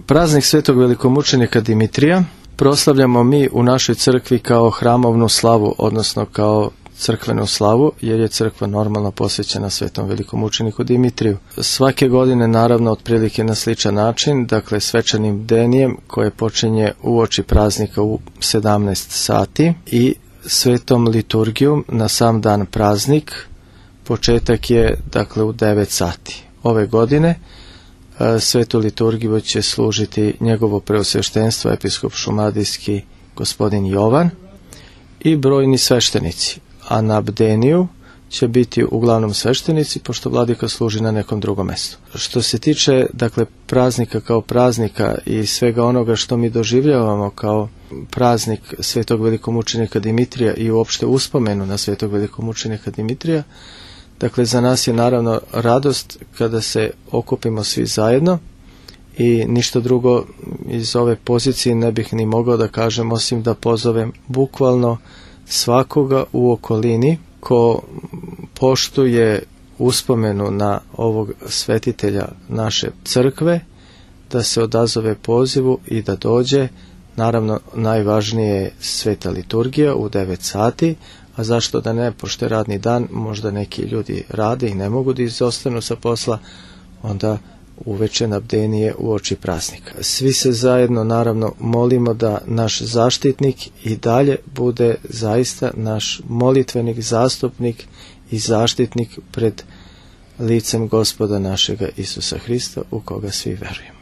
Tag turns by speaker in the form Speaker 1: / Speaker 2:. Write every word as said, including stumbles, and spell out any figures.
Speaker 1: Praznik svetog velikomučenika Dimitrija proslavljamo mi u našoj crkvi kao hramovnu slavu, odnosno kao crkvenu slavu, jer je crkva normalno posvećena svetom velikomučeniku Dimitriju. Svake godine, naravno, otprilike na sličan način, dakle svečanim bdenijem koje počinje uoči praznika u sedamnaest sati i svetom liturgijom na sam dan praznik. Početak je, dakle, u devet sati. Ove godine svetu liturgiju će služiti njegovo preosveštenstvo, episkop šumadijski gospodin Jovan i brojni sveštenici. A na bdeniju će biti uglavnom sveštenici, pošto vladika služi na nekom drugom mjestu. Što se tiče, dakle, praznika kao praznika i svega onoga što mi doživljavamo kao praznik svetog velikomučenika Dimitrija i uopšte uspomenu na svetog velikomučenika Dimitrija, dakle, za nas je naravno radost kada se okupimo svi zajedno i ništa drugo iz ove pozicije ne bih ni mogao da kažem osim da pozovem bukvalno svakoga u okolini ko poštuje uspomenu na ovog svetitelja naše crkve, da se odazove pozivu i da dođe. Naravno, najvažnije je sveta liturgija u devet sati, a zašto da ne, pošto je radni dan, možda neki ljudi rade i ne mogu da izostanu sa posla, onda uveče na bdenije uoči praznika. Svi se zajedno, naravno, molimo da naš zaštitnik i dalje bude zaista naš molitvenik, zastupnik i zaštitnik pred licem Gospoda našega Isusa Hrista, u koga svi verujemo.